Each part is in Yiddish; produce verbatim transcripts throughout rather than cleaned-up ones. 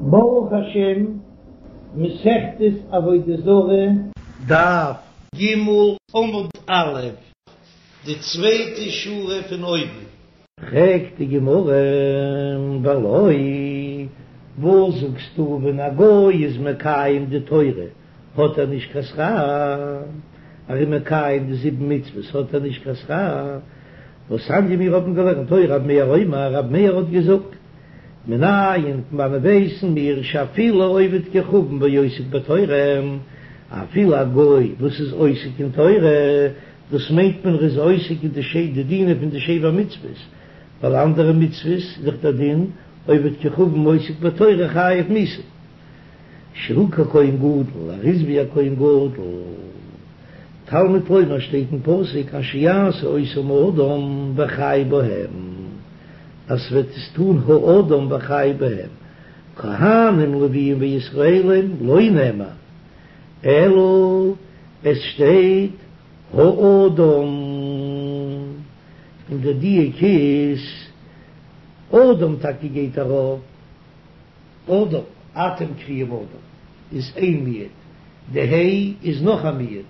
ברוך השם, מסכת עבודה זרה, דף ג עמוד א', די צווייטע שורה פון אויבן. פרעגט די גמרא, ולא, וואס זאגסטו ווען א גוי איז מקיים די תורה האט ער נישט קיין שכר, ער איז מקיים די זיבן מצוות האט ער נישט קיין שכר, והתניא מיר האבן געלערנט היה רבי מאיר אומר, רבי מאיר האט געזאגט, מנין פון וואנען ווייסן מיר שאפילו עובד כוכבים ועוסק בתורה, אפילו א גוי וואס איז עוסק אין תורה, דאס מיינט מען ער איז עוסק אין די דינים פון די שבע מצוות, ווייל אנדערע מצוות איז דאך דער דין עובד כוכבים ועוסק בתורה חייב מיתה. שהוא ככהן גדול, ער איז ווי א כהן גדול. תלמוד לומר שטייט אין פסוק אשר יעשה אותם האדם וחי בהם, אז ס'וועט עס טון האדם וחי בהם, כהנים לוויים וישראלים לא נאמר, אלא עס שטייט האדם, און דער דיוק איז אדם טאקע גייט ארויף. אדם, אתם קרויים אדם, איז איין מיעוט, די ה' איז נאך א מיעוט,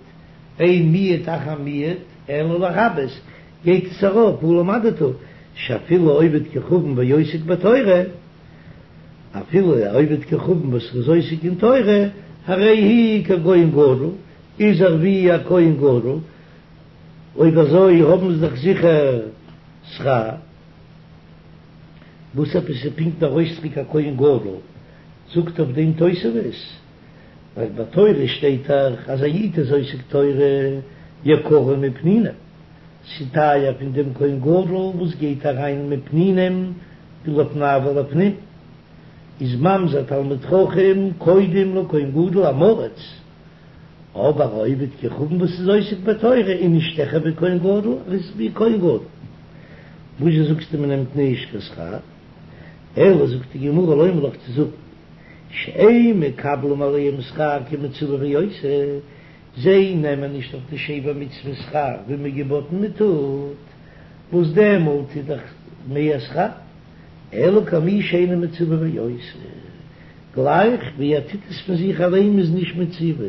אין מיעוט אחר מיעוט אלא לרבות, גייט עס ארויף, הא למדת שאפילו עובד כוכבים ועוסק בתורה, אפילו א עובד כוכבים וואס איז עוסק אין תורה, הרי הוא ככהן גדול, איז ער ווי א כהן גדול, אויב אזוי האבן זיי דאך זיכער שכר. וואס עפעס איז פונקט דער אויסדרוק א כהן גדול? זאגט אויף דעם תוספות, ווייל ביי תורה שטייט דאך אז א איד איז עוסק תורה יקרה מפנינים, ס'טייער פון דעם כהן גדול וואס גייט אריין מפנינים לפני ולפנים, איז ממזר תלמיד חכם קודם לכהן גדול עם הארץ. אבער א עובד כוכבים וואס איז עוסק בתורה איז נישט העכער ווי כהן גדול, ער איז ווי כהן גדול. וואזשע זאגסטו מען נעמט נישט קיין שכר? אלא זאגט די גמרא לומר לך צו זאגן שאין מקבלים עליהם שכר כמצווה ועושה, זיי נעמען נישט אויף די שבע מצוות שכר ווי מען געבאטן מען טוט, וואס דעמאלט איז דאך מער שכר, אלא כמי שאינו מצווה ועושה. גלייך ווי ער טוט עס פון זיך אליין מ'איז נישט מצווה.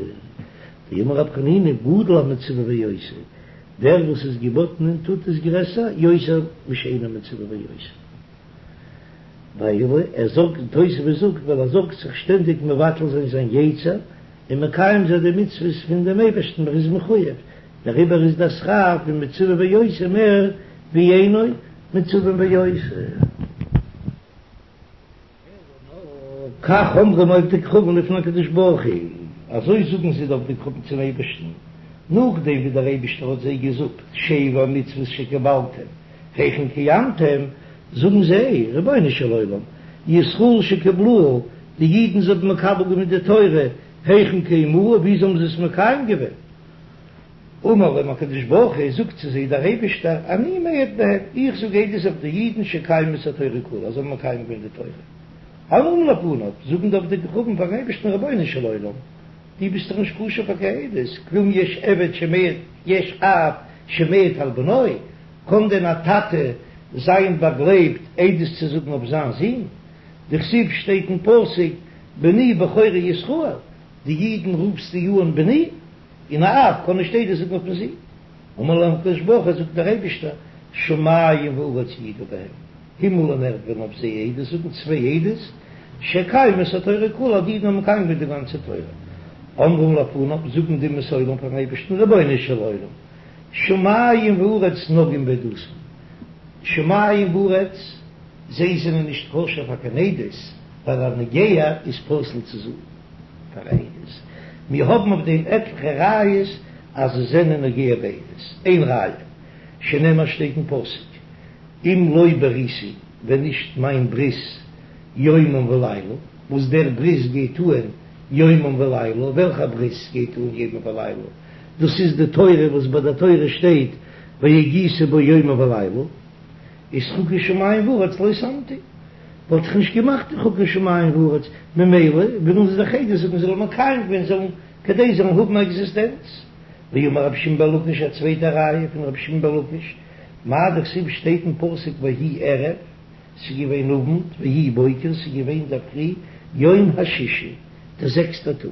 דאמר רב חנינא גדול המצווה ועושה, דער וואס איז געבאטן און טוט איז גרעסער יותר משאינו מצווה ועושה. ווייל ער זאגט, תוספות זאגט, ווייל ער זארגט זיך שטענדיג מבטל זיין זיין יצר און מקיים זיין די מצוות פון דעם אייבערשטן ער איז מחויב, דעריבער איז דער שכר פון מצווה ועושה מער ווי אינו מצווה ועושה. כך אומרים עובדי כוכבים לפני הקדוש ברוך הוא, אזוי זאגן זיי די עובדי כוכבים צום אייבערשטן, נאכדעם ווי דער אייבערשטער האט זיי געזאגט שבע מצוות שקיבלתם היכן קיימתם, זאגן זיי, רבונו של עולם, ישראל שקיבלוה, די אידן זיי האבן מקבל געווען די תורה, היכן קיימוה, ווי האבן זיי עס מקיים געווען? אמר להם הקדוש ברוך הוא, זאגט צו זיי דער אייבערשטער, אני מעיד בהם, איך זאג עדות אויף די אידן שקיימו את התורה כולה, אז זיי האבן מקיים געווען די תורה. אומרים לפניו, זאגן די עובדי כוכבים פארן אייבערשטן, רבונו של עולם, דו ביסט דאך נישט כשר פאר קיין עדות, כלום יש עבד שמעיד, יש אב שמעיד על בנו, קען דען א טאטע זיין באגלייבט עדות צו זאגן אויף זיין זון? דכתיב שטייט אין פסוק, בני בכורי ישראל, די אידן רופסטו אן בני? און א אב קען נישט עדות זאגן אויפן זון. אמר להם הקדוש ברוך הוא, זאגט דער אייבישטער, שמים וארץ יעידו בהם, הימל און ערד וועלן אויף זיי עדות זאגן, צוויי עדות, שקיימו את התורה כולה, אז די אידן האבן מקיים געווען די גאנצע תורה. אומרים לפניו, זאגן די אומות העולם פארן אייבישטן, רבונו של עולם, שמים וארץ נוגעים בעדותן, שמים וארץ, זיי זענען נישט כשר פאר קיין עדות, ווייל א נוגע איז פסול צו זאגן. פאר עדות. מיר האבן אויף דעם עטליכע ראיות אז זיי זענען נוגע בעדות. איין ראיה, שנאמר שטייט אין פסוק, אם לא בריתי, ווען נישט מיין ברית יומם ולילה, וואס דער ברית גייט אהן יומם ולילה, וועלכע ברית גייט אהן יומם ולילה? דאס איז די תורה וואס ביי די תורה שטייט והגית בו יומם ולילה. איז חוקי שמים וארץ לא שמתי, וואלט איך נישט געמאכט די חוקי שמים וארץ, ממילא ווילן זיי דאך עדות זאגן זאלן מקיים געווען זאלן כדי זיי זאלן האבן א עקזיסטענץ. ואמר רבי שמעון בן לקיש א צווייטע ראיה פון רבי שמעון בן לקיש, מאי דכתיב שטייט אין פסוק ויהי ערב, ס'איז געווען אוונט, ויהי בוקר, ס'איז געווען דער פרי, יום השישי, דער זעקסטער טאג,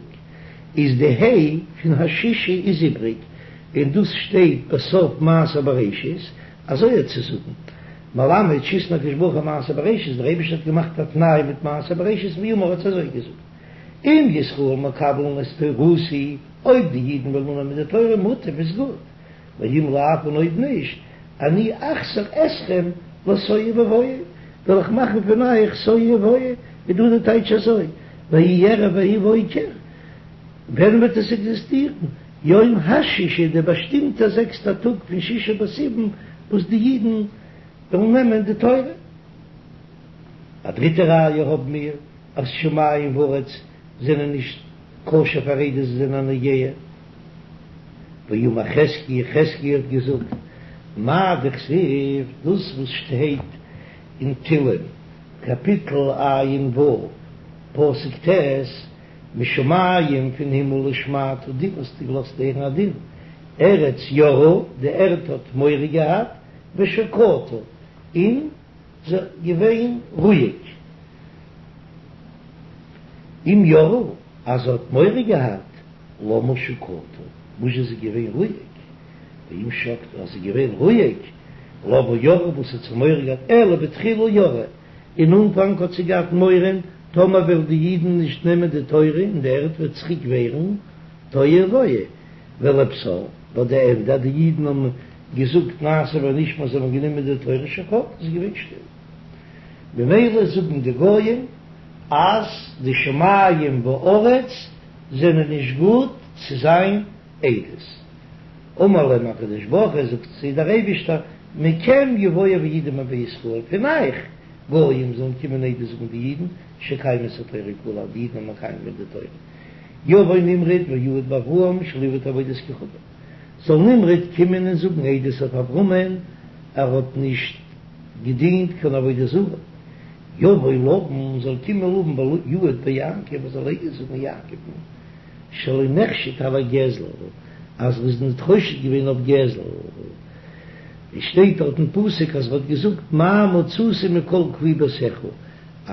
איז די ה' פון השישי איז איבריג, און דאס שטייט בסוף מעשה בראשית, אזוי האט צו זאגן, מלמד שהתנה הקדוש ברוך הוא מעשה בראשית, דער אייבערשטער האט געמאכט א תנאי מיט מעשה בראשית ואמר האט אזוי געזאגט, אם ישראל מקבלין את תורתי, אויב די אידן וועלן אננעמען די תורה מוטב איז גוט, ואם לאו און אויב נישט, אני אחזיר אתכם לתוהו ובוהו, וועל איך מאכן פון אייך תוהו ובוהו, איז דא די טייטש אזוי, ויהי ערב ויהי בוקר, ווען וועט עס עקזיסטירן? יום השישי, די באשטימטע זעקסטע טאג פון שישה בסיוון וואס די אידן וועלן נעמען די תורה. א דריטע ראיה האבן מיר אז שמים וארץ זענען נישט כשר פאר עדות, זיי זענען א נוגע. ואמר חזקיה, חזקיה האט געזאגט, מאי דכתיב, דאס וואס שטייט אין תהלים קאפיטל ע"ו פסוק ט', משמים פון הימל השמעת דין האסטו געלאזט הערן א דין, ארץ יראה, די ערד האט מורא געהאט, ושקטה, און זי געווען רואיג. אם יראה, אז זי האט מורא געהאט, למה שקטה, וואס איז זי געווען רואיג? ואם שקטה, אז זי איז געווען רואיג, למה יראה, וואס האט זי מורא געהאט? אלא בתחילה יראה, אין אנפאנג האט זי געהאט מורא, טאמער וועלן די אידן נישט נעמען די תורה און די ערד וועט צוריק ווערן תוהו ובוהו, ולבסוף, ביי די ענדע אז די אידן האבן געזאגט נעשה ונשמע זיי האבן גענומען די תורה שקטה איז געווען שטיל. ממילא זאגן די גויים אז די שמים וארץ זענען נישט גוט צו זיין עדות. אמר להם הקדוש ברוך הוא, זאגט זיי דער אייבישטער, מכם יבואו ויעידו בישראל, פון אייך גויים זאלן קומען עדות זאגן די אידן, שקיימו את התורה כולה, אז די אידן האבן מקיים געווען די תורה. יבוא נמרוד ויעיד באברהם שלא עבד עבודת כוכבים, זאל נמרוד קומען און זאגן עדות אויף אברהמען, ער האט נישט געדינט קיין עבודה זרה. יבוא לבן, זאל קומען לבן ויעיד ביעקב, ער זאל עדות זאגן יעקב'ן, שלא נחשד על הגזל, אז ער איז ניט חושד געווען אויף גזל, ווי שטייט דארט אין פסוק אז ער האט געזאגט מה מצאתי מכל כלי ביתך,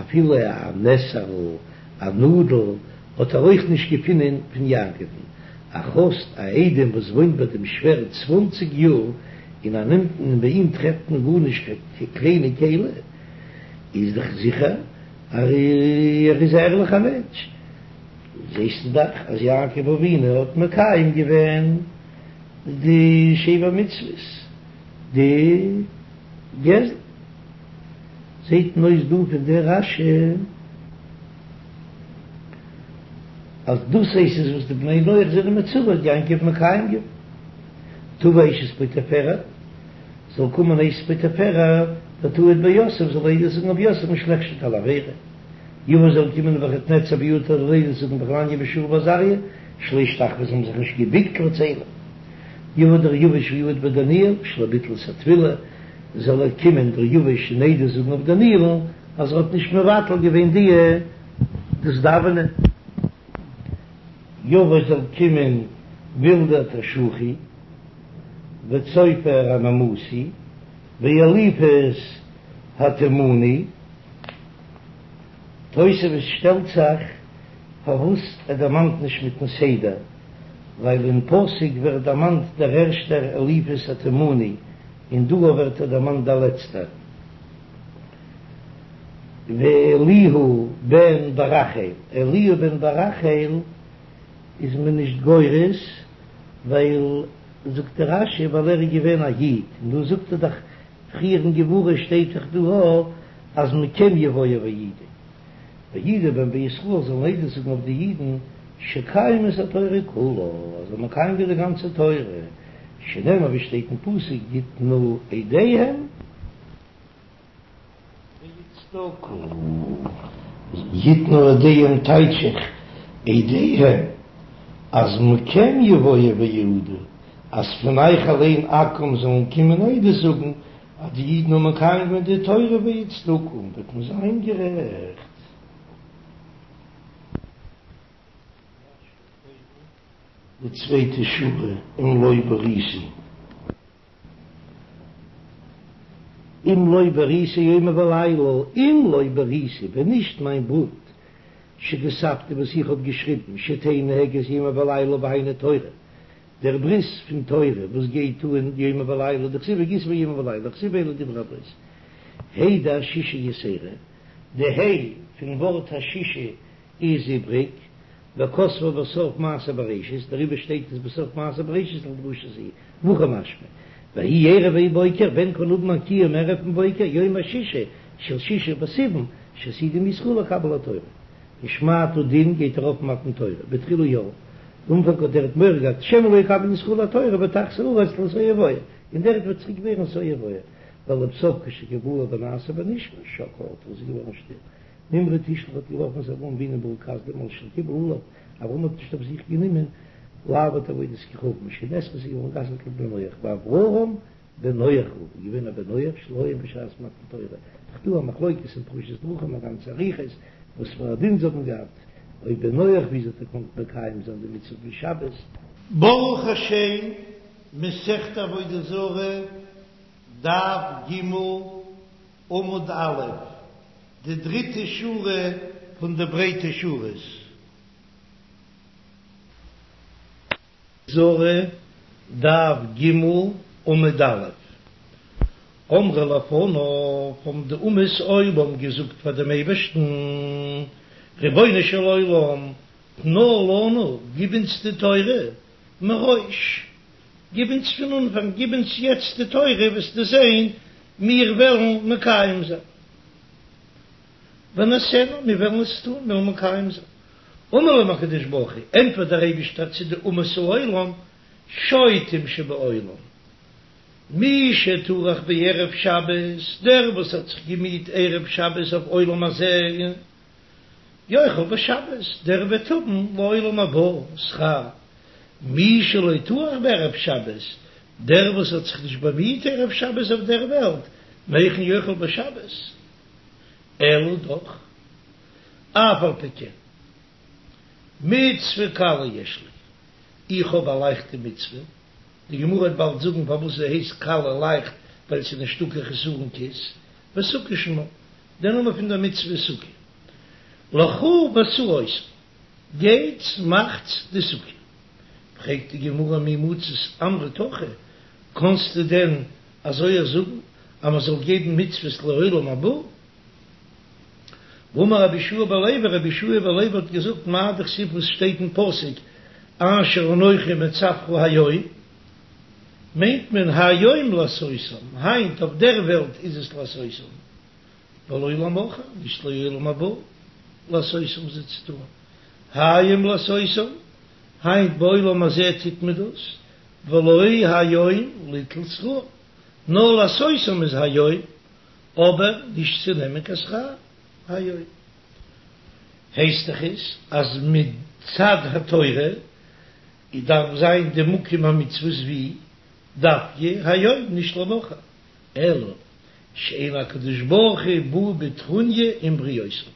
אפילו א נסר'ל, א נאדל, האט ער אויך נישט געפונען פון יעקב'ן, האסט א איידעם וואס וואוינט ביי דעם שווער צוואנציג יאר און ער נעמט און ביי אים טרעפט מען גארנישט קיין קליינע כלי, איז דאך זיכער אז ער איז א ערליכער מענטש. זעסטו דאך אז יעקב אבינו האט מקיים געווען די שבע מצוות, די גזל. זעט מען אויס דא פון דער רש"י אז דאס הייסט עס וואס די בני נח זענען מצווה האט יעקב מקיים געווען. תבא אשת פוטיפרע, זאל קומען אשת פוטיפרע ותעיד ביוסף, זאל עדות זאגן אויף יוסף שלא נחשד על עבירה. יבא זאל קומען נבוכדנצר ויעיד זאל עדות זאגן בחנניה מישאל ועזריה שלא השתחוו זיי האבן זיך נישט געביקט לצלם. יבא דריוש ויעיד בדניאל שלא ביטל את התפילה זאל ער קומען דריוש און עדות זאגן אויף דניאל'ן אז ער האט נישט מבטל געווען די דאס דאווענען. יבא זאל קומען בלדד השוחי וצופר הנעמתי ואליפז התימני. תוספות שטעלט זיך פארוואס ער דערמאנט נישט מיטן סדר, ווייל אין פסוק ווערט דערמאנט דער ערשטער אליפז התימני און דא ווערט ער דערמאנט דער לעצטער. ואליהו בן ברכאל, אליהו בן ברכאל איז מען נישט גורס, ווייל זאגט דער רש"י ווייל ער איז געווען א איד, און דא זאגט ער דאך פריער אין גמרא שטייט דאך דא אז מכם יבואו ויעידו, ויעידו בהם בישראל זאלן עדות זאגן אויף די אידן שקיימו את התורה כולה, אז זיי האבן מקיים געווען די גאנצע תורה, שנאמר ווי שטייט אין פסוק יתנו עדיהם ויצדקו, יתנו עדיהם טייטש איך עדיהם אז מכם יבואו ויעידו, אז פון אייך אליין עכו"ם זאלן קומען עדות זאגן אז די אידן האבן מקיים געווען די תורה ויצדקו וועט מען זיין גערעכט. די צווייטע שורה אם לא בריתי. אם לא בריתי יומם ולילה, אם לא בריתי, ווען נישט מיין בונד, שכתבתי וואס איך האב געשריבן, שתהא נוהגת יומם ולילה והיינו תורה, דער ברית פון תורה וואס גייט אן יומם ולילה, דכתיב והגית בו יומם ולילה, וכתיב ואלה דברי הברית. ה' דהשישי יתירא, די ה' פון ווארט השישי איז איבריג, וכתבה בסוף מעשה בראשית, דעריבער שטייט עס בסוף מעשה בראשית לדרשה זו, והכי משמע, ויהי ערב ויהי בוקר, ווען קען האבן א קיום ערב און בוקר, יום השישי של שישה בסיוון, שעתידים ישראל לקבל התורה. ושמעתא דין גייט ארויף מתן תורה, בתחילה ירא, אנפאנג האט ער האט מורא געהאט שמא לא יקבל ישראל התורה ותחזור הארץ לתוהו ובוהו, און די ערד וועט צוריק ווערן תוהו ובוהו, ולבסוף כשקבלה בנעשה בנשמע שקעה איז געווארן שטיל. נמרוד השליך האט געווארפן את אברהם אבינו באור כשדים על שלא קיבל עליו, אברהם האט נישט אויף זיך גענומען לעבוד עבודת כוכבים שנאסרה איז געווארן גע'אסר'ט לבני נח ואברהם בן נח הוא איז געווען א בן נח שלא היה בשעת מתן תורה, ס'איז דא א מחלוקת אין פרשת דרכים א גאנצע אריכות וואס פאר א דין זיי האבן געהאט, אויב בן נח וויאזוי האט ער געקאנט מקיים זיין די מצוה פון שבת. ברוך השם, מסכת עבודה זרה, דף ג', עמוד א', די דריטע שורה פון די ברייטע שורות. זרה, דף ג', עמוד א'. אמרו לפניו, האבן די אומות העולם געזאגט פאר דעם אייבערשטן, רבונו של עולם, תנה לנו, גיב אונז די תורה, מראש, גיב אונז פון אנפאנג, גיב אונז יעצט די תורה, וועסטו זען, מיר וועלן מקיים זיין. ונעשנה, מיר וועלן עס טון, מיר וועלן מקיים זיין. אמר להם הקדוש ברוך הוא, ענטפערט דער אייבישטער צו די אומות העולם, שוטים שבעולם, מי שטרח בערב שבת, דער וואס האט זיך געמיהט ערב שבת אויף עולם הזה, יאכל בשבת, דער וועט האבן לעולם הבא שכר, מי שלא טרח בערב שבת, דער וואס האט זיך נישט באמיהט ערב שבת אויף דער וועלט, מהיכן יאכל בשבת? אלא דאך, אף על פי כן, מצוה קלה יש לי, איך האב א לייכטע מצוה, די גמרא וועט באלד זאגן פארוואס זי הייסט קלה לייכט, ווייל ס'איז נישטא קיין חסרון כיס, וסוכה שמה, דער נאמען פון דער מצוה איז סוכה, לכו ועשו אותה, גייטס מאכטס די סוכה. פרעגט די גמרא מי מצית אמרת הכי, קאנסטו דען אזוי זאגן אז מען זאל געבן מצוות לעולם הבא? והאמר רבי יהושע בן לוי, רבי יהושע בן לוי האט געזאגט מאי דכתיב וואס שטייט אין פסוק אשר אנכי מצוך היום, מיינט מען היום לעשותם, היינט אויף דער וועלט איז עס לעשותם, ולא למחר, נישט לעולם הבא, לעשותם זיי צו טון, היום לעשותם, היינט בעולם הזה טוט מען דאס, ולא היום ליטול שכר, נאר לעשותם איז היום, אבער נישט צו נעמען קיין שכר היום. הייסט דאך עס אז מצד התורה דארף זיין די מקום המצוות ווי דווקא היום נישט למחר, אלא שאין הקדוש ברוך הוא בא בטרוניא עם בריותיו,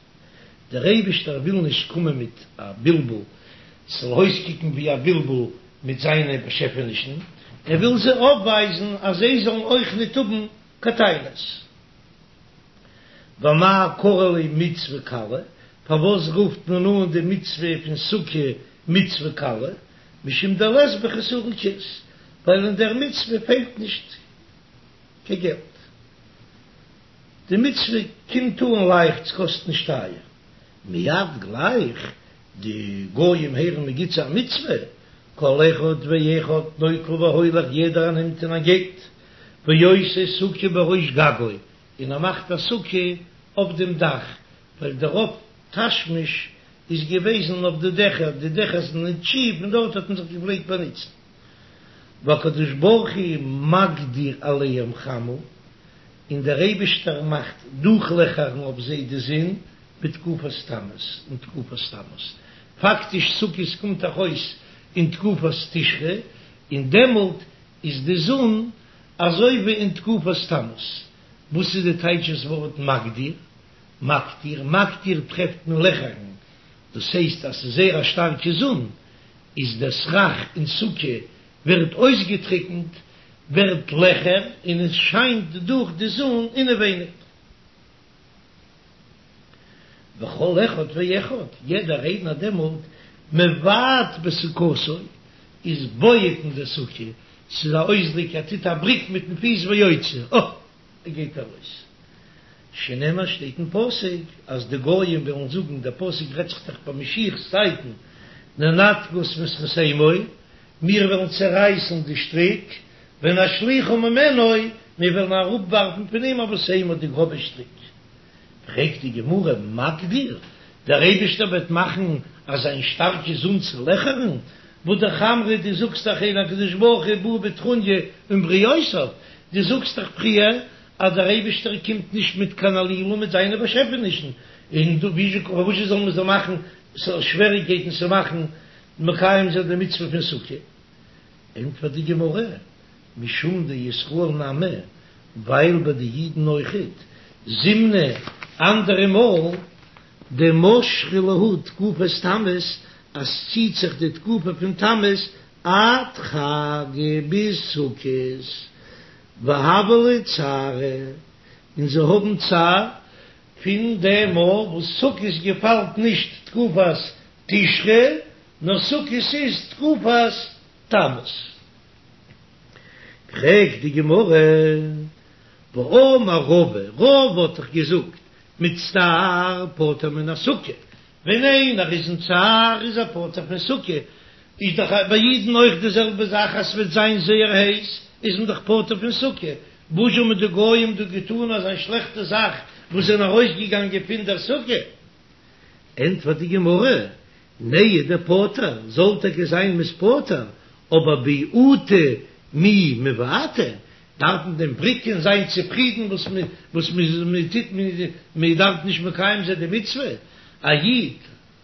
דער אייבישטער וויל נישט קומען מיט א בלבול, ס'זאל אויסקוקן ווי א בלבול מיט זיינע באשעפענישן, ער וויל זיי אויפווייזן אז זיי זאלן אויך ניט האבן קיין טענות. ואמאי קרי לה מצוה קלה, פארוואס רופט מען אן די מצוה פון סוכה מצוה קלה? משום דלית בה חסרון כיס, ווייל אין דער מצוה פעלט נישט קיין געלט. די מצוה קומט אן לייכט, ס'קאסט נישט טייער. מיד גלייך די גויים הערן מ'גיט זיי א מצוה, כל אחד ואחד נוטל והולך, יעדער נעמט און ער גייט, ועושה סוכה בראש גגו, און ער מאכט א סוכה אויף דעם דאך, ווייל דער רוב תשמיש איז געוועזן אויף די דעכער, די דעכער זענען נישט שיף און דארט האט מען זיך געפלעגט באנוצן. והקדוש ברוך הוא מקדיר עליהם חמה, און דער אייבישטער מאכט דורכלעכערן אויף זיי די זון בתקופת תמוז, אין תקופת תמוז, פאקטיש סוכות קומט דאך אויס אין תקופת תשרי, און דעמאלט איז די זון אזוי ווי אין תקופת תמוז. וואס איז די טייטש דאס ווארט מקדיר? מקטיר, מקטיר טרעפט מען לעכערן, דאס הייסט אז ס'איז זייער א שטארקע זון, איז דער סכך אין סוכה ווערט אויסגעטריקנט, ווערט לעכער און עס שיינט דורך די זון אינעווייניג. וכל אחד ואחד, יעדער איינער דעמאלט מבעט בסוכתו, איז בועט אין די סוכה, ס'איז א אויסדריק ער טוט א בריק מיטן פיס ויוצא, אה! ער גייט ארויס. שנאמר שטייט אין פסוק אז די גויים וועלן זאגן, דער פסוק רעדט זיך דאך ביי משיח'ס צייטן, ננתקה את מסכתמו, מיר וועלן צערייסן די שטריק, ונשליכה ממנו, מיר וועלן אראפווארפן פון אים הבשמה די גראבע שטריק. פרעגט די גמרא, מקדיר, דער אייבישטער וועט מאכן אז זיין שטארקע זון צו לעכערן, והא אמרת, דו זאגסט דאך אין הקדוש ברוך הוא בא בטרוניא עם בריותיו, דו זאגסט דאך פריער אז דער אייבישטער קומט נישט מיט קיין עלילה מיט זיינע באשעפענישן, און דא פארוואס זאל מען זיי מאכן שוועריגקייטן צו מאכן מקיים זיין די מצוה פון סוכה? ענטפערט די גמרא, משום דישראל נמי, ווייל ביי די אידן אויכעט, זימנא, אנדערע מאל, דמשכא להו תקופת תמוז, אז ציט זיך די תקופה פון תמוז עד חגא ביז סוכות, והוה להו צערא, און זיי האבן צער פון דעם מאל וואס סוכות געפאלט נישט תקופת תשרי, נאר סוכות איז תקופת תמוז. פרעגט די גמרא, והאמר רבא, רבא האט דאך געזאגט, מצטער פטור מן הסוכה, ווען איינער איז אין צער איז ער פטור פון סוכה, איז דאך ביי אידן אויך די זעלבע זאך אז ס'וועט זיין זייער הייס איז מען דאך פטור פון סוכה, וואס האבן די גויים דא געטאן אזא שלעכטע זאך וואס זענען ארויסגעגאנגען פון דער סוכה? ענטפערט די גמרא, נהי דפטור, זאל טאקע זיין מ'איז פטור, אבער ביעוטי מי מבעטי, דארף מען דען בריקען זיין צופרידן וואס וואס מען טוט מען דארף נישט מקיים זיין די מצוה, א איד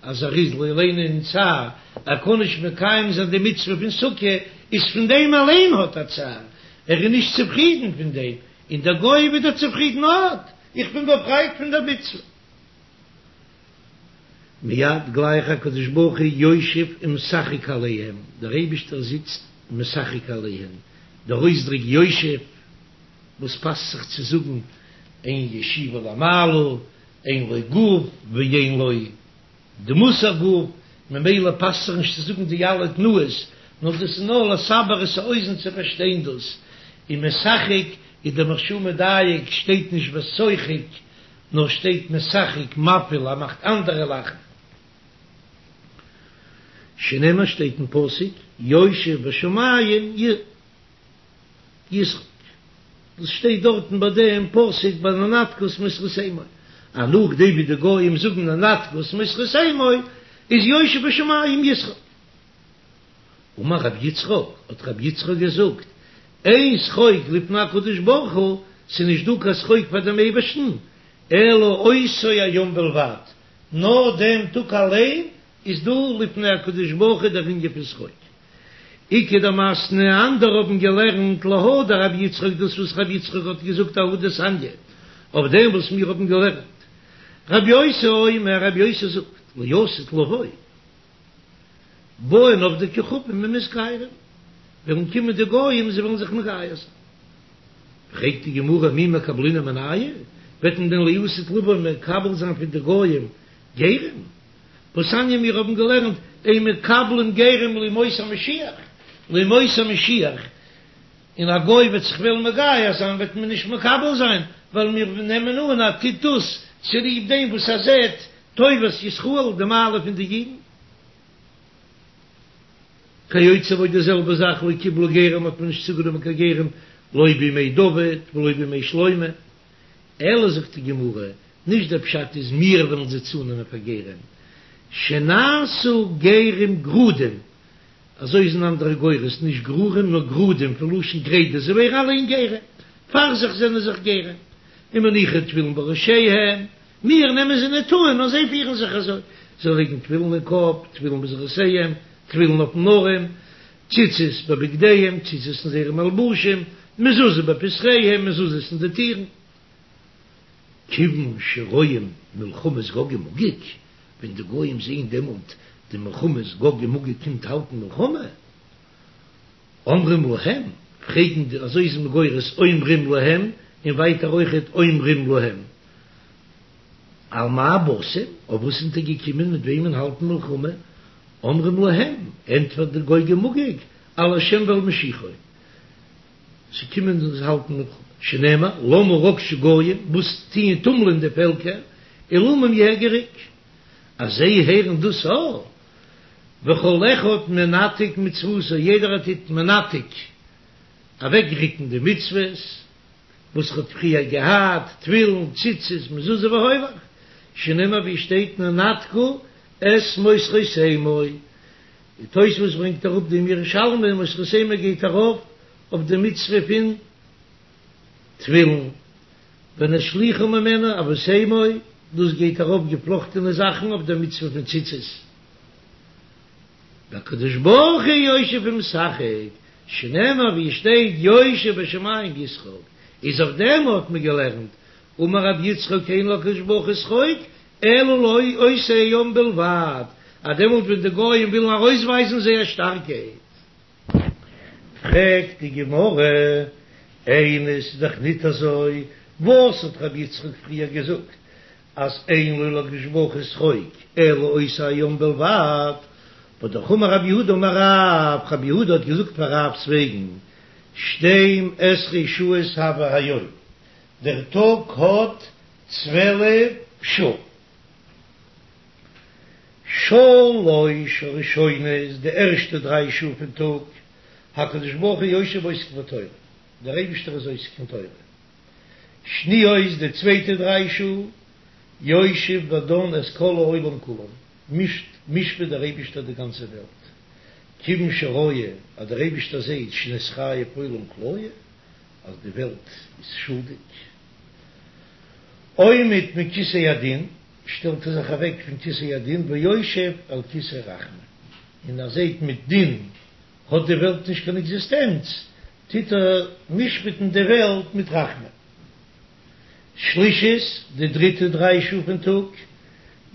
אז ער איז לא עלינו אין צער ער קען נישט מקיים זיין די מצוה פון סוכה, איז פון דעם אליין האט ער צער, ער איז נישט צופרידן פון דעם, און דער גוי ווידער צופרידן אט איך בין באפרייט פון דער מצוה. מיד גלייך הקדוש ברוך הוא יושב ומשחק עליהם, דער אייבישטער זיצט ומשחק עליהם, דער אויסדריק יושב וואס פאסט זיך צו זאגן אין ישיבה למעלה, אין לו גוף ואין לו דמות הגוף, ממילא פאסט זיך נישט צו זאגן די אלע תנועות, נאר דאס איז נאר לסבר את האוזן צו פארשטיין דאס, ומשחק איז דער מהרש"א מדייק שטייט נישט ושוחק נאר שטייט משחק מפיל ער מאכט אנדערע לאכן. שנאמר שטייט אין פסוק יושב בשמים ישחק, דאס שטייט דארטן ביי דעם פסוק ביי ננתקה את מסכתמו, אז נאכדעם ווי די גויים זאגן ננתקה את מסכתמו איז יושב בשמים ישחק. אמר רבי יצחק, האט רבי יצחק געזאגט, אין שחוק לפני הקדוש ברוך הוא, ס'איז נישט דא קיין שחוק פאר דעם אייבערשטן, אלא אותו היום בלבד, נאר דעם טאג אליין איז דא לפני הקדוש ברוך הוא דער ענין פון שחוק. איכא דמתני, אנדערע האבן געלערנט להא דרבי יצחק דאס וואס רבי יצחק האט געזאגט אהא דתניא, אויף דעם וואס מיר האבן געלערנט. רבי יוסי אומר, רבי יוסי זאגט, לעתיד לבוא. באין עובדי כוכבים ומתגיירים, וועלן קומען די גויים זיי וועלן זיך מגייר זיין. פרעגט די גמרא מי מקבלינן מינייהו, וועט מען דען לעתיד לבוא מקבל זיין פון די גויים גרים? והתניא מיר האבן געלערנט אין מקבלים גרים לימות המשיח, לימות המשיח, און א גוי וועט זיך וועלן מגייר זיין וועט מען נישט מקבל זיין, ווייל מיר נעמען אן אז ער טוט דאס צוליב דעם וואס ער זעט טובת ישראל, די מעלה פון די אידן. כיוצא בו די זעלבע זאך לא קיבלו גרים האט מען נישט צוגענומען קיין גרים לא בימי דוד ולא בימי שלמה, אלא זאגט די גמרא, נישט דער פשט איז מיר וועלן זיי צונעמען פאר גרים, שנעשו גרים גרודים, אזוי איז אין אנדערע גורס, נישט גרורים נאר גרודים, פון לשון גרידה, זיי ווערן אליין גרים, פאר זיך זענען זיך גרים, ומניחין תפילין בראשיהם, מיר נעמען זיי ניט אן, נאר זיי פירן זיך אזוי, זיי לייגן תפילין אין קאפ, תפילין בזרועותיהם, תפילין אויפן ארעם, ציצית בבגדיהם, ציצית אין זייערע מלבושים, מזוזה בפתחיהם, מזוזות אין די טירן. כיוון שרואים מלחמות גוג ומגוג, ווען די גויים זעען דעמאלט די מלחמות גוג ומגוג קומט האלטן מלחמה, אומרים להם, פרעגן די, אזוי איז מען גורס אומרים להם, און ווייטער אויכעט אומרים להם. על מה באתם, אויף וואס זענט איר געקומען מיט וועמען האלטן מלחמה? אומרים להם, ענטפערט די גוג ומגוג, על השם ועל משיחו, צו קומען אונז האלטן מלחמה, שנאמר, למה רגשו גוים, וואס טוען טומלען די פעלקער, ולאומים יהגה ריק, אז זיי הערן דאס א, וכל אחד מנתק מצוותו, יעדער טוט מנתק, אוועקריקן די מצוות וואס ער האט פריער געהאט, תפילין, ציצית, מזוזה והולך, שנאמר ווי שטייט ננתקו את מוסרותימו, די תוספות ברענגט אראפ דעם ירושלמי, מוסרותימו גייט ארויף אויף די מצוה פון תפילין, ונשליכו ממנו עבותימו, דאס גייט ארויף געפלאכטענע זאכן אויף די מצוה פון ציצית. והקדוש ברוך הוא יושב ומשחק, שנאמר ווי עס שטייט יושב בשמים ישחק, איז אויף דעם האט מען געלערנט, אמר רבי יצחק אין לקדוש ברוך הוא שחוק אלא לאותו היום בלבד, אז דעמאלט ווען די גויים ווילן ארויסווייזן זייער שטארקייט. פרעגט די גמרא, איני ס'איז דאך ניט אזוי, וואס האט רבי יצחק פריער געזאגט אז אין לו לקדוש ברוך הוא שחוק אלא אותו היום בלבד, והא אמר רב יהודה אמר רב, רב יהודה האט געזאגט פאר רב'ס וועגן, שתים עשרה שעות הוי היום, דער טאג האט צוועלף שעה, שלש הראשונות, די ערשטע דריי שעה פון טאג, הקדוש ברוך הוא יושב ועוסק בתורה, דער אייבישטער איז עוסק אין תורה. שניות, די צווייטע דריי שעה, יושב ודן את כל העולם כולו, מישט, משפט דער אייבישטער די גאנצע וועלט, כיוון שראה אז דער אייבישטער זעט שנתחייב עולם כליה, אז די וועלט איז שולדיג, עומד מכסא הדין, שטעלט ער זיך אוועק פון כסא הדין ויושב על כסא רחמים, און ער זעט מיט דין האט די וועלט נישט קיין עקזיסטענץ, טוט ער משפט'ן די וועלט מיט רחמים. שלישית, די דריטע דריי שעה פון טאג,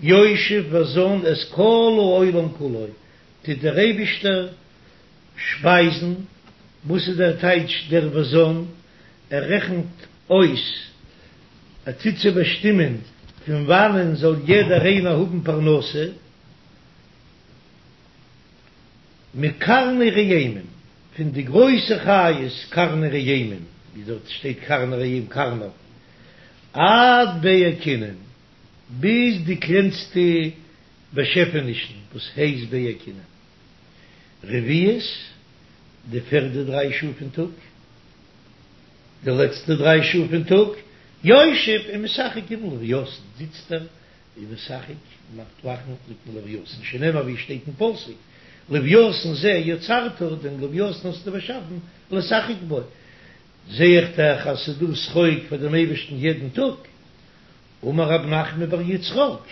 יושב וזן את כל העולם כולו, טוט דער אייבישטער שפייזן, וואס איז דער טייטש דער וזן? ער רעכנט אויס, ער טוט צו באשטימען פון וואנען זאל יעדער איינער האבן פרנסה, מקרני ראמים, פון די גרויסע חיות קרני ראמים, ווי דארט שטייט קרני ראמים קרנף, עד בעה כינים, ביז די קלענסטע באשעפענישן וואס הייסט בעה כינים. רביעית, די פערדע דריי שעה פון טאג, די לעצטע דריי שעה פון טאג, יושב ומשחק עם לוויתן, זיצט ער ומשחק מאכט לאכן מיטן לוויתן, שנאמר ווי שטייט אין פסוק, לוויתן זה יצרת, דעם לוויתן האסטו באשאפן, לשחק בו, זע איך דאך אז ס'איז דא שחוק פאר דעם אייבערשטן יעדן טאג, אמר רב נחמן בר יצחק,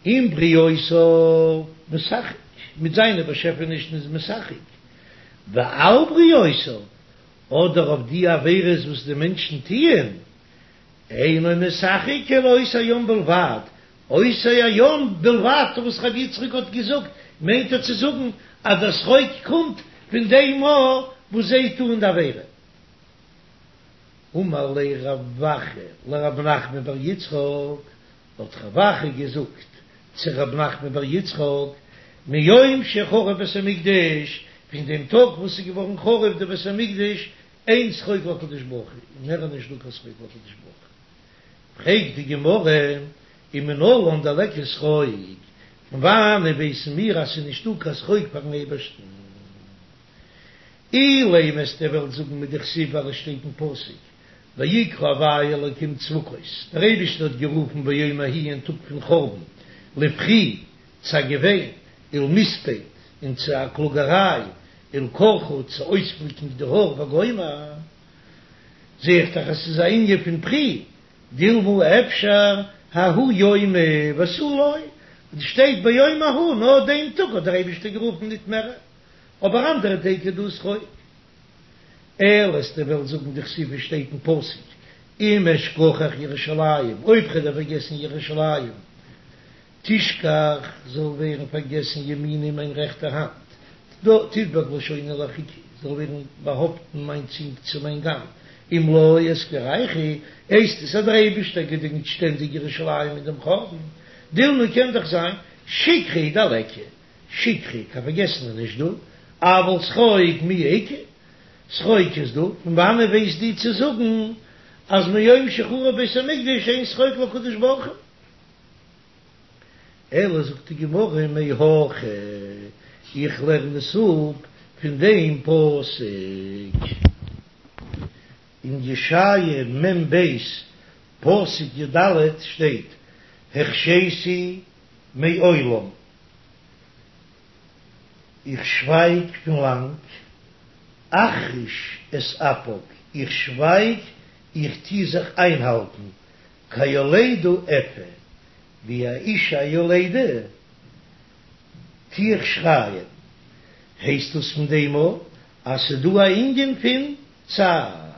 עם בריותיו משחק, מיט זיינע באשעפענישן איז משחק, ועל בריותיו, אדער אויף די עבירות וואס די מענטשן טוען, אינו משחק אלא אותו היום בלבד, אותו היום בלבד וואס רבי יצחק האט געזאגט מיינט ער צו זאגן אז דער שחוק קומט פון דעם מאל וואס זיי טוען די עבירה. אמר ליה רב אחא לרב נחמן בר יצחק, האט רב אחא געזאגט צו רב נחמן בר יצחק, מיום שחרב בית המקדש, פון דעם טאג וואס איז געווארן חרוב די בית המקדש, אין שחוק להקדוש ברוך הוא, און מער איז נישט דא קיין שחוק להקדוש ברוך הוא. פרעגט די גמרא, ומנלן דליכא שחוק, פון וואנען ווייסן מיר אז ס'איז נישט דא קיין שחוק פארן אייבערשטן? אילימא וועסטו וועלן זאגן מדכתיב ווייל עס שטייט אין פסוק ויקרא הוי' אלקים צבקות, דער אייבערשטער האט גערופן ביום ההוא אין טאג פון חורבן לבכי צו א געוויין ולמספד און צו א קלאגעריי ולקרחה צו אויספליקן די האר וגומר, זע איך דאך אז ס'איז א ענין פון בכי, דילמא אפשר ההוא יומא ותו לא, שטייט ביום ההוא נאר דעם טאג האט דער אייבערשטער גערופן ניט מער, אבער אנדערע טעג איז דא שחוק. אלא וועסטו וועלן זאגן דכתיב ווי שטייט אין פסוק אם אשכחך ירושלים אויב כ'וועל פארגעסן ירושלים תשכח זאל ווערן פארגעסן ימיני מיין רעכטע האנט תדבק לשוני לחכי זאל ווערן באהאפטן מיין צונג צו מיין גאם אם לא אזכירכו, הייסט עס אז דער אייבישטער געדענקט שטענדיג ירושלים אין דעם חורבן, דילמא קען דאך זיין שכחה הוא דליכא, שכחה, קיין פארגעסן איז נישט דא, אבל שחוק מיהא איכא, שחוק איז דא, פון וואנען ווייסט דו צו זאגן אז מיום שחרב בית המקדש אין שחוק להקדוש ברוך הוא? אלא זאגט די גמרא מהכא, איך לערן עס אפ פון דעם פסוק אין ישעיה מ ב פסוק י ד שטייט החשיתי מעולם, איך שווייג פון לאנג, אחריש את אפק, איך שווייג, איך טו זיך איינהאלטן, כיולדה אפה, ווי א אישה יולדה טו איך שרייען, הייסט דאס פון דעם אויך אז ס'איז דא א ענין פון צער.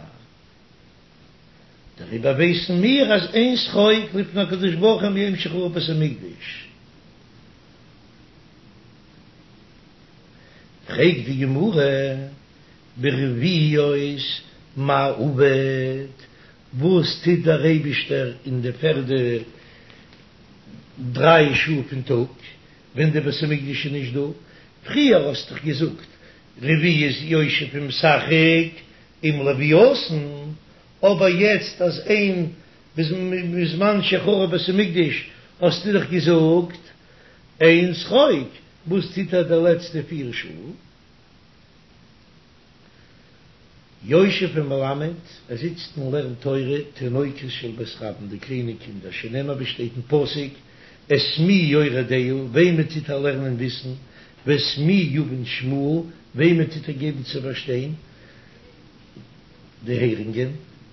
דעריבער ווייסן מיר אז אין שחוק לפני הקדוש ברוך הוא מיום שחרב בית המקדש. פרעגט די גמרא ברביעיות מאי עביד, וואס טוט דער אייבישטער אין די פערדע דריי שעה פון טאג ווען די בית המקדש איז נישט דא? פריער האסט דאך געזאגט רביעית יושב ומשחק עם לוויתן, אבער יעצט אז אין בזמן שחרב בית המקדש האסטו דאך געזאגט אין שחוק, וואס טוט ער די לעצטע פיר שעה? יושב ומלמד, ער זיצט און לערנט תורה, תינוקות של בית רבן, די קליינע קינדער, שנאמר ווי שטייט אין פסוק, את מי יורה דעה, וועמען טוט ער לערנען וויסן, ואת מי יבין שמוע, וועמען טוט ער געבן צו פארשטיין די הערונגען,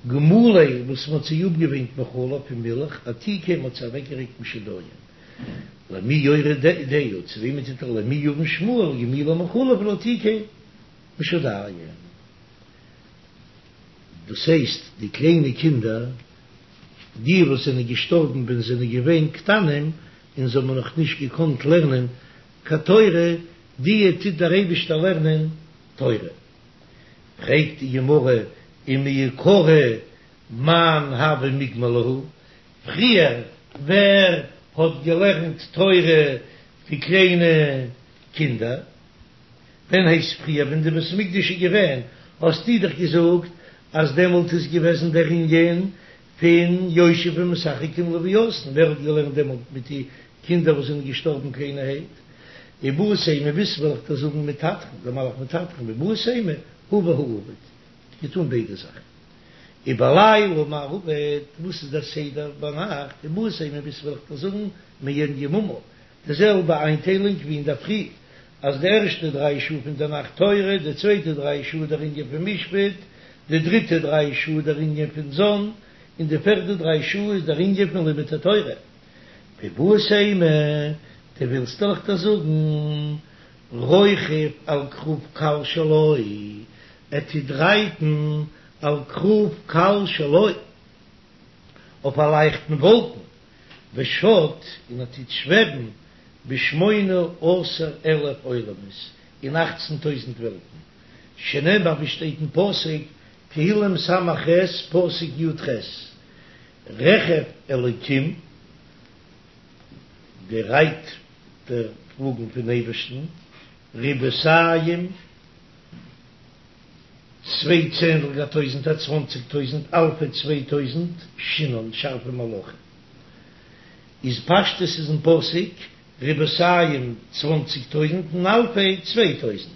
גמולי, וואס מען האט זיי אפגעוויינט מחלב פון מילך, עתיקי, מען האט זיי אוועקגערוקט משדיים. למי יורה דעה, צו וועמען טוט ער למי יבין שמוע, לגמולי מחלב ולעתיקי משדיים. דאס הייסט די קליינע קינדער, די וואס זענען געשטארבן ווען זיי זענען געווען קטנים און זיי האבן נאך נישט געקאנט לערנען קיין תורה, די טוט דער אייבישטער לערנען תורה. פרעגט די גמרא ומעיקרא מאן הוה מגמר להו, פריער ווער האט געלערנט תורה די קליינע קינדער? ווען הייסט פריער ווען די בית המקדש איז געווען האסטו דאך געזאגט אז דעמאלט איז געוועזן דער ענין פון יושב ומשחק עם לוויתן, ווער האט געלערנט דעמאלט מיט די קינדער וואס זענען געשטארבן קליינערהייט? איבעית אימא ווילסט וועל איך דיר זאגן מטטרון, דער מלאך מטטרון, ואיבעית אימא הא והא עביד, האט געטאן ביידע זאכן. ובלילה מאי עביד, וואס איז דער סדר ביינאכט? איבעית אימא ווילסט וועל איך דיר זאגן מעין יממה, די זעלבע איינטיילונג ווי אינדערפרי, אז די ערשטע דריי שעה פון די נאכט תורה, די צווייטע דריי שעה דער ענין פון משפט, די דריטע דריי שעה דער ענין פון זון, און די פערדע דריי שעה איז דער ענין פון לימוד התורה. ואיבעית אימא, דו ווילסט וועל איך דיר זאגן, רוכב על כרוב קל שלו, ער טוט רייטן על כרוב קל שלו, אויף א לייכטן וואלקן, ושט, און ער טוט שוועבן בשמונה עשר אלף עולמות, אין אכצן טויזנט וועלטן, שנאמר ווי שטייט אין פסוק, תהילים ס"ח, פסוק י"ח, רכב אלוקים, די רייט דער וואגן פון אייבערשטן, ריבעתים, צוויי צענדליגער טויזנטער, צוואנציג טויזנט, אלפי צוויי טויזנט, שנאן, שארפע מלאכים. איז פשטות איז אין פסוק, ריבעתים צוואנציג טויזנט און אלפי צוויי טויזנט.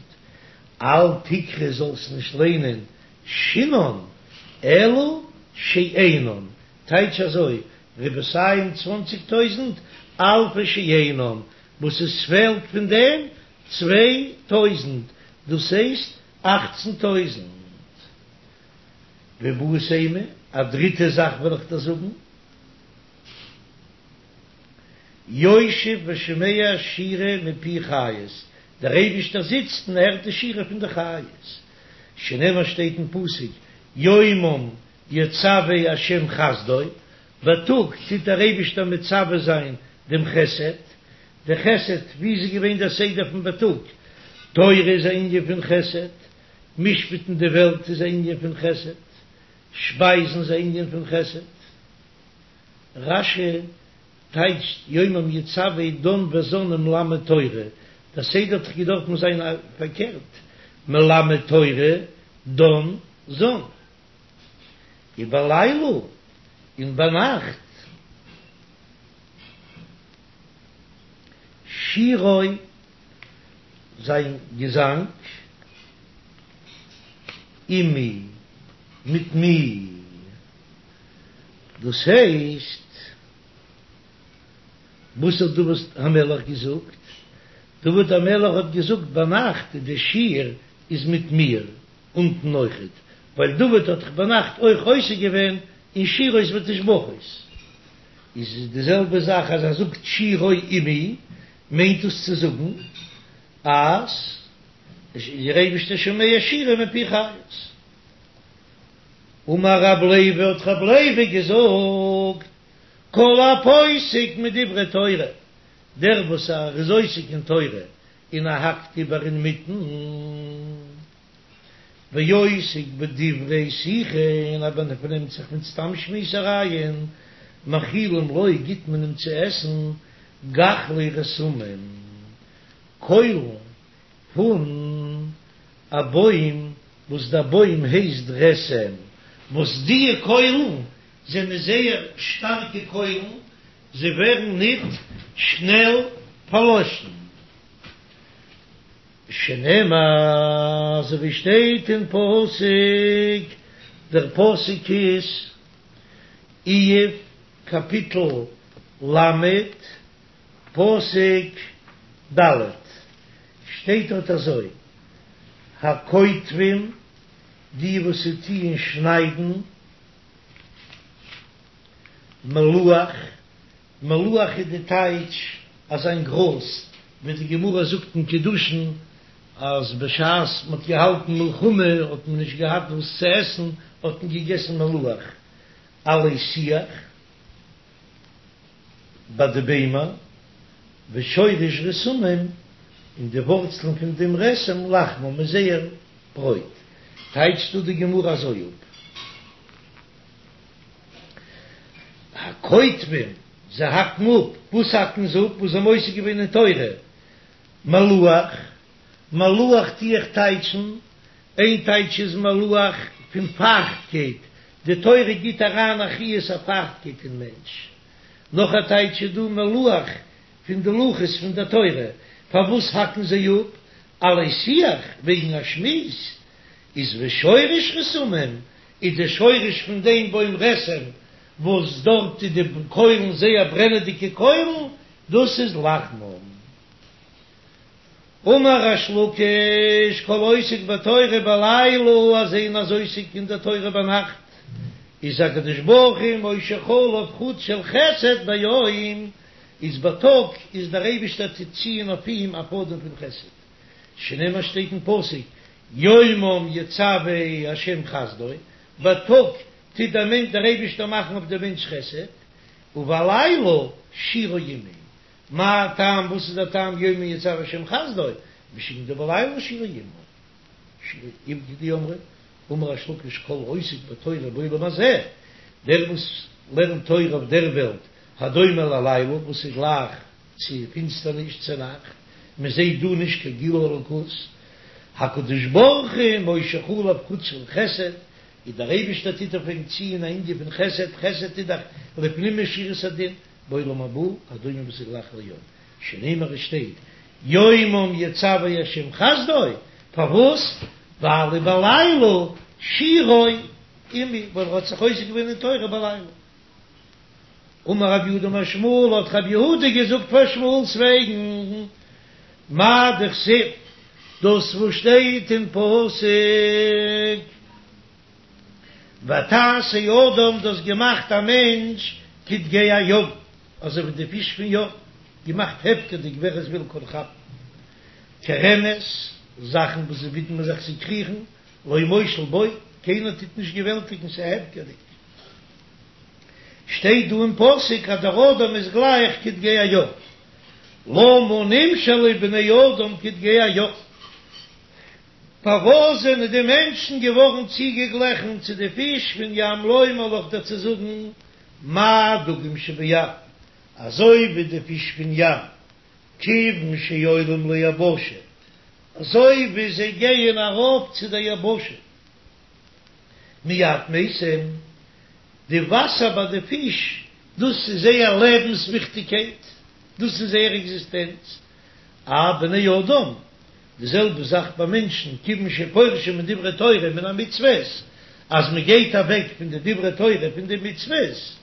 אל תקרי זאלסט נישט ליינען שנאן, אלא שאינן, טייטש אזוי, ריבעתים צוואנציג טויזנט, אלפי שאינן, וואס עס פעלט פון דעם צוויי טויזנט, דאס הייסט אכצן טויזנט. ואיבעית אימא, א דריטע זאך וועל איך דיר זאגן, יושב ושומע שירה מפי חיות, דער אייבישטער זיצט און הערט די שירה פון די חיות, שנאמר שטייט אין פסוק, יומם יצוה ה' חסדו, בייטאג טוט דער אייבישטער מצווה זיין דעם חסד, די חסד, ווי איז געווען דער סדר פון בייטאג? תורה איז א ענין פון חסד, משפט'ן די וועלט איז א ענין פון חסד, שפייזן איז א ענין פון חסד. רש"י טייטשט יומם יצוה דן וזן ומלמד תורה, דער סדר האט דאך געדארפן זיין פארקערט, מלמד תורה דן זן. ובלילה, און ביינאכט, שירו, זיין געזאנג, עמי, מיט מיר, דאס הייסט, וואס האט דוד המלך געזאגט? דוד המלך האט געזאגט ביינאכט די שיר איז מיט מיר, אונטן אויכעט, ווייל דוד האט דאך ביינאכט אויך עוסק געווען אין שירות ותשבחות, איז די זעלבע זאך אז ער זאגט שירו עמי, מיינט דאס צו זאגן אז דער אייבערשטער שומע שירה מפי חיות. אמר רב לוי האט רב לוי געזאגט, כל הפוסק מדברי תורה, דער וואס ער איז עוסק אין תורה און ער האקט איבער אינמיטן, ועוסק בדברי שיחה, און ער פארנעמט זיך מיט סתם שמועסערייען, מאכילים לו, גיט מען אים צו עסן גחלי רתמים, קוילן פון א בוים וואס דער בוים הייסט רתם, וואס דיע קוילן זענען זייער שטארקע קוילן, זיי ווערן ניט שנעל פארלאשן. שנאמר, אזוי ווי שטייט אין פסוק, דער פסוק איז, איוב קאפיטל ל', פסוק ד', שטייט דארט אזוי, הקוטבים, די וואס טוען שניידן, מלוח, מלוח איז די טייטש אזוין גראז, ווי די גמרא זאגט אין קידושין אז בשעת מען האט געהאלטן מלחמה האט מען נישט געהאט וואס צו עסן האט מען געגעסן מלוח, עלי שיח ביי די ביימער, ושורש רתמים, און די ווארצלען פון דעם רתם לחמם איז זייער ברויט, טייטשט דא די גמרא אזוי אפ. הקוטבים, זיי האקן אפ, וואס האקן זיי אפ? וואס זיי האבן עוסק געווען אין תורה? מלוח, מלוח טו איך טייטשן, איין טייטש איז מלוח פון פייכטקייט, די תורה גיט אריין א חיות א פייכטקייט אין מענטש, נאך א טייטש איז דא מלוח פון די לוחות פון דער תורה, פארוואס האקן זיי אפ? עלי שיח, וועגן א שמועס, איז ושורש רתמים, איז די שורש פון דעם בוים רתם וואס דארט איז די קוילן זייער ברענעדיגע קוילן, דאס איז לחמם. אמר ריש לקיש כל העוסק בתורה בלילה אז איינער איז עוסק אין די תורה ביינאכט איז הקדוש ברוך הוא מושך עליו חוט של חסד ביום, איז בייטאג איז דער אייבישטער טוט ציען אויף אים א פאדעם פון חסד, שנאמר שטייט אין פסוק יומם יצוה ה' חסדו, בייטאג טוט דער מענטש דער אייבישטער מאכן אויף דעם מענטש חסד, ובלילה שירו עמו, מה טעם וואס איז דער טעם יומם יצוה ה' חסדו, משום דבלילה שירו עמו, שירו עמו כדאמרי, אמר ריש לקיש כל העוסק בתורה בעולם הזה, דער וואס לערנט תורה אויף דער וועלט, הדומה ללילה וואס איז גלייך צו פינסטערניש צו נאכט, מען זעט דא נישט קיין גילוי אלוקות, הקדוש ברוך הוא מושך עליו חוט של חסד, איז דער אייבערשטער טוט אויף אים ציען א ענין פון חסד, חסד איז דאך לפנים משורת הדין, בעולם הבא, הדומה וואס איז גלייך ליום, שנאמר עס שטייט, יומם יצוה ה' חסדו, פארוואס? ווייל ובלילה שירו עמו, ווייל ער האט זיך עוסק געווען אין תורה בלילה. אמר רב יהודה אמר שמואל, האט רב יהודה געזאגט פאר שמואל'ס וועגן, מאי דכתיב, דאס וואס שטייט אין פסוק, ותעש האדם, דו האסט געמאכט א מענטש כדגי הים, אזוי ווי די פיש פון ים, געמאכט הפקר'דיג ווער עס וויל קען כאפן, כרמש, זאכן וואס זיי ווידמען זיך צו קריכן, לא מושל בו, קיינער טוט נישט געוועלטיגן, ס'איז הפקר'דיג. שטייט דא אין פסוק אז דער אדם איז גלייך כדגי הים, למה נמשלו בני אדם כדגי הים? פארוואס זענען די מענטשן געווארן צוגעגליכן צו די פיש פון ים לומר לך דיר צו זאגן מה דגים שבים, אזוי ווי די פיש פון ים, כיוון שעולים ליבשה, אזוי ווי זיי גייען ארויף צו דער יבשה, מיד מתים, די וואסער ביי די פיש, דאס איז זייער לעבנס וויכטיגקייט, דאס איז זייער עקזיסטענץ, אף בני אדם, די זעלבע זאך ביי מענטשן, כיוון שפורשים מדברי תורה מן המצוות, אז מען גייט אוועק פון די דברי תורה פון די מצוות,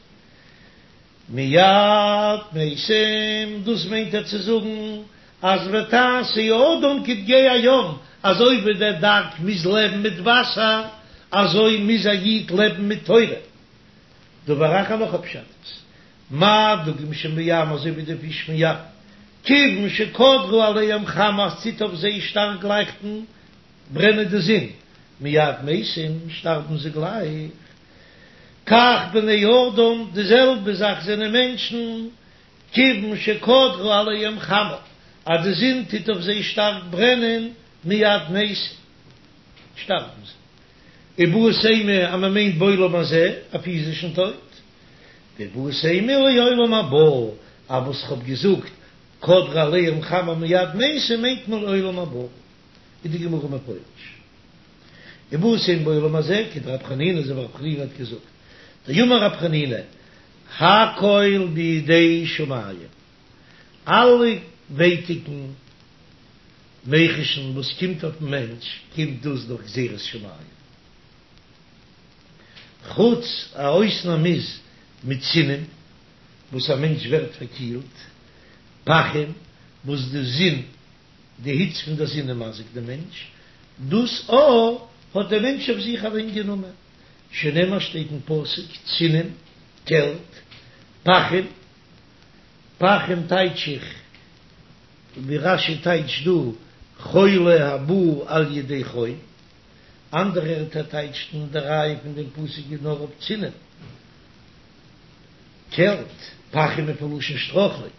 מיד מתים, דאס מיינט ער צו זאגן אז ותעש האדם כדגי הים, אזוי ווי דער דג מוז לעבן מיט וואסער, אזוי מוז א איד לעבן מיט תורה. דבר אחר נאך א פשט איז, מה דגים שבים אזוי ווי די פיש פון ים, כיוון שקדרה עליהם חמה אז ס'טוט אויף זיי שטארק לייכטן, ברענען די זון, מיד מתים, שטארבן זיי גלייך. כך בני אדם, די זעלבע זאך זענען מענטשן, כיוון שקדרה עליהם חמה, אז די זון טוט אויף זיי שטארק ברענען, מיד מתים, שטארבן זיי. איבעית אימא אז מען מיינט בעולם הזה, א פיזישן טויט. ואיבעית אימא לעולם הבא, אז וואס כ'האב געזאגט, קדרה עליהם חמה מיד מתים מיינט מען לעולם הבא, איז די גמרא מפרש. איבעית אימא בעולם הזה, כדרב חנינא אזוי ווי רב חנינא האט געזאגט, דאמר רב חנינא, הכל בידי שמים, אלע ווייטיקן מיחושן וואס קומט אויפן מענטש קומט דאס דורך גזירת שמים, חוץ א אויסנאם איז מצינים וואס א מענטש ווערט פארקילט, פחים וואס די זון די היץ פון דער זון איז מזיק דעם מענטש, דאס א האט דער מענטש אויף זיך אליין גענומען, שנאמר שטייט אין פסוק, צינים, קעלט, פחים, פחים טייטש איך ווי רש"י טייטשט דא, חולי הבא על ידי חום, אנדערע ערטער טייטשן די ראיה פון דעם פסוק איז נאר אויף צינים. קעלט, פחים איז פון לשון שטרויכלונג,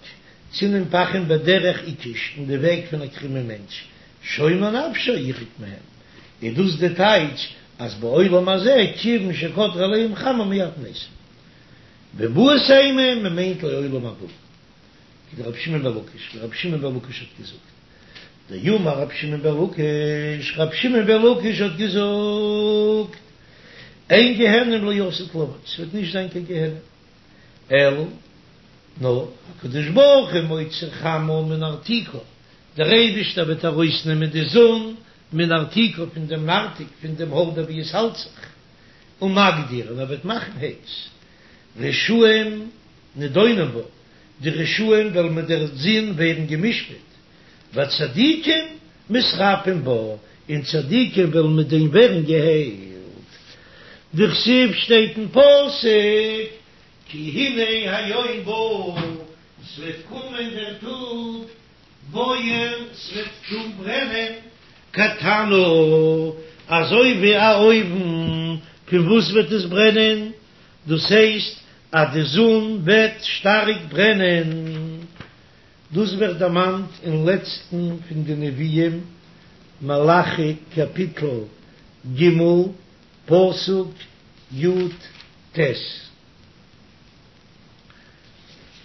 צינים פחים בדרך עיקש, אין די וועג פון א קרומען מענטש, שומר נפשו ירחק מהם, איז דאס די טייטש אז בעולם הזה כיוון שקדרה עליהם חמה מיד מתים. ואיבעית אימא מען מיינט לעולם הבא, כדרבי שמעון בן לקיש, ווי רבי שמעון בן לקיש האט געזאגט, דאמר רבי שמעון בן לקיש, רבי שמעון בן לקיש האט געזאגט, אין גיהנום לעתיד לבוא, ס'וועט נישט זיין קיין גיהנום, אלא נאר הקדוש ברוך הוא מוציא חמה מנרתיקה, דער אייבישטער וועט ארויסנעמען די זון מנרתיקה פון דעם נרתיק, פון דעם האלדער ווי עס האלט זיך, ומקדיר, און ער וועט מאכן הייס, רשעים נדונים בה, די רשעים וועלן מיט דער זון ווערן גע'משפט, והצדיקים מתרפאים בה, און צדיקים וועלן מיט דעם ווערן געהיילט. דכתיב שטייט אין פסוק, כי הנה היום בא, ס'וועט קומען דער טאג, בוער, ס'וועט טון ברענען, כתנור, אזוי ווי א אויוון, פון וואס וועט עס ברענען? דאס הייסט אז די זון וועט שטארק ברענען. דאס ווערט דערמאנט אין לעצטן פון די נביאים, מלאכי קאפיטל ג' פסוק י"ט,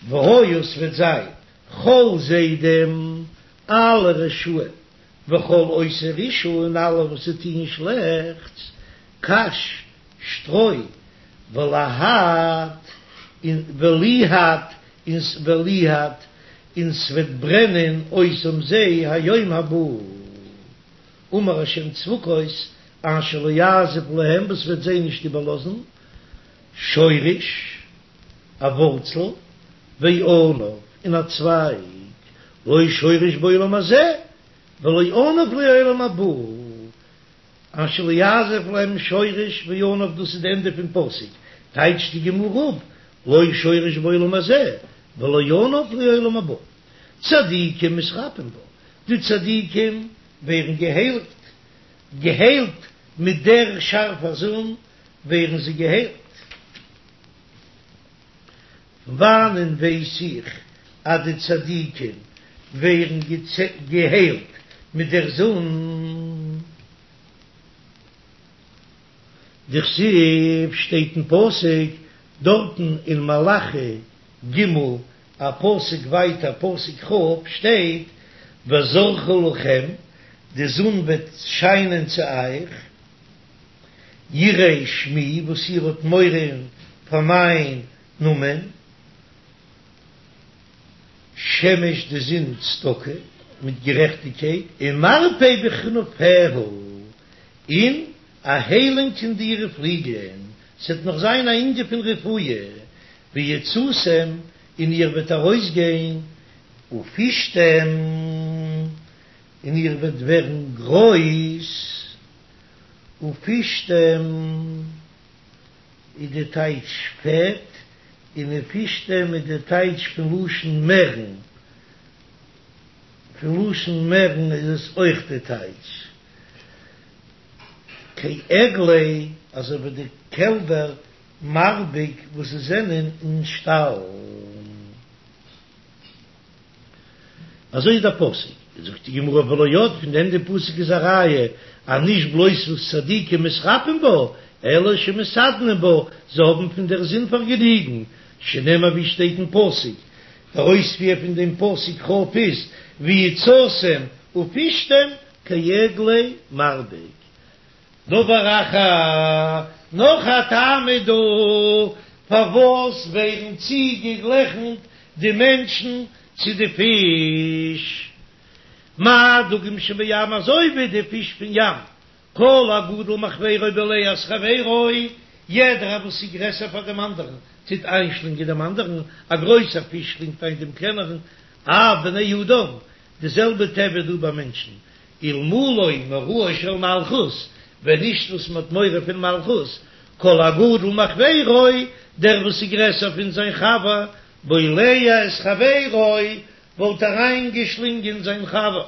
והיה ס'וועט זיין כל זדים, אלע רשעים, וכל עושי רשעה און אלע וואס טוען שלעכטס, קש, שטרוי, ולהט, און וליהט, און וליהט, און ס'וועט ברענען אותם זיי היום הבא. אמר השם צבקות, אשר לא יעזוב להם, וואס וועט זיי נישט איבערלאזן, שורש, א ווארצל, וענף, און א צווייג, לא שורש בעולם הזה, ולא ענף לעולם הבא. אשר לא יעזוב להם שורש וענף דאס איז די ענדע פון פסוק, טייטשט די גמרא אפ, לא שורש בעולם הזה ולא ענף לעולם הבא, צדיקים מתרפאים בה, די צדיקים ווערן געהיילט, געהיילט מיט דער שארפער זון ווערן זיי געהיילט. פון וואנען ווייס איך אז די צדיקים ווערן געהיילט מיט דער זון? דכתיב שטייט אין פסוק דארטן אין מלאכי ג' א פסוק ווייטער פסוק כ' שטייט וזרחה לכם די זון וועט שיינען צו אייך יראי שמי וואס איר האט מורא פאר מיין נאמען שמש די זון צדקה מיט גערעכטיגקייט ומרפא בכנפיה און א היילונג אין אירע פליגלען, ס'עט נאך זיין א ענין פון רפואה, ויצאתם און איר וועט ארויסגיין, ופשתם און איר וועט ווערן גרויס, ופשתם איז די טייטש פעט, און ופשתם איז די טייטש פון לשון מערן, פון לשון מערן איז עס אויך די טייטש. כעגלי, אזוי ווי די קעלבער מרבק וואס זיי זענען אין שטאל. אזוי איז דער פסוק. זאגט די גמרא ולא עוד, פון דעם די פסוק איז א ראיה אז נישט בלויז וואס צדיקים מתרפאים בה, אלא שמתעדנין בה, זיי האבן פון דער זון פארגעניגן, שנאמר ווי שטייט אין פסוק, דער אויספיר פון דעם פסוק כ' איז ויצאתם ופשתם כעגלי מרבק. דבר אחר, נאך א טעם איז דא פארוואס ווערן צוגעגליכנט די מענטשן צו די פיש. מה דגים שבים אזוי ווי די פיש פון ים, כל הגדול מחבירו בולע את חברו, יעדער וואס איז גרעסער פאר דעם אנדערן טוט איינשלינגען דעם אנדערן, א גרויסער פיש שלינגט איין דעם קלענערן, אף בני אדם, די זעלבע טבע איז דא ביי מענטשן, אלמלא מוראה של מלכות, ווען נישט וואס מען האט מורא פון מלכות, כל הגדול מחבירו, דער וואס איז גרעסער פון זיין חבר, בולע את חברו, וואלט אריינגעשלינגען זיין חבר.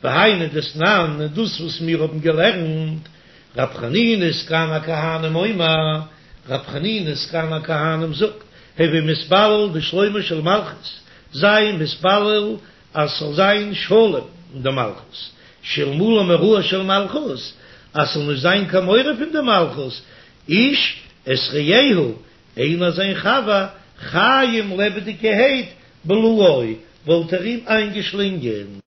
והיינו דתנן, און דאס וואס מיר האבן געלערנט, רב חנינא סגן הכהנים אומר, רב חנינא סגן הכהנים זאגט, הוי מתפלל בשלומה של מלכות, זיי מתפלל אז ס'זאל זיין שלום אין די מלכות, שאלמלא מוראה של מלכות, אז ס'זאל נישט זיין קיין מורא פון די מלכות, איש את רעהו, איינער זיין חבר, חיים לעבעדיגערהייט, בלעו, וואלט ער אים איינגעשלינגען.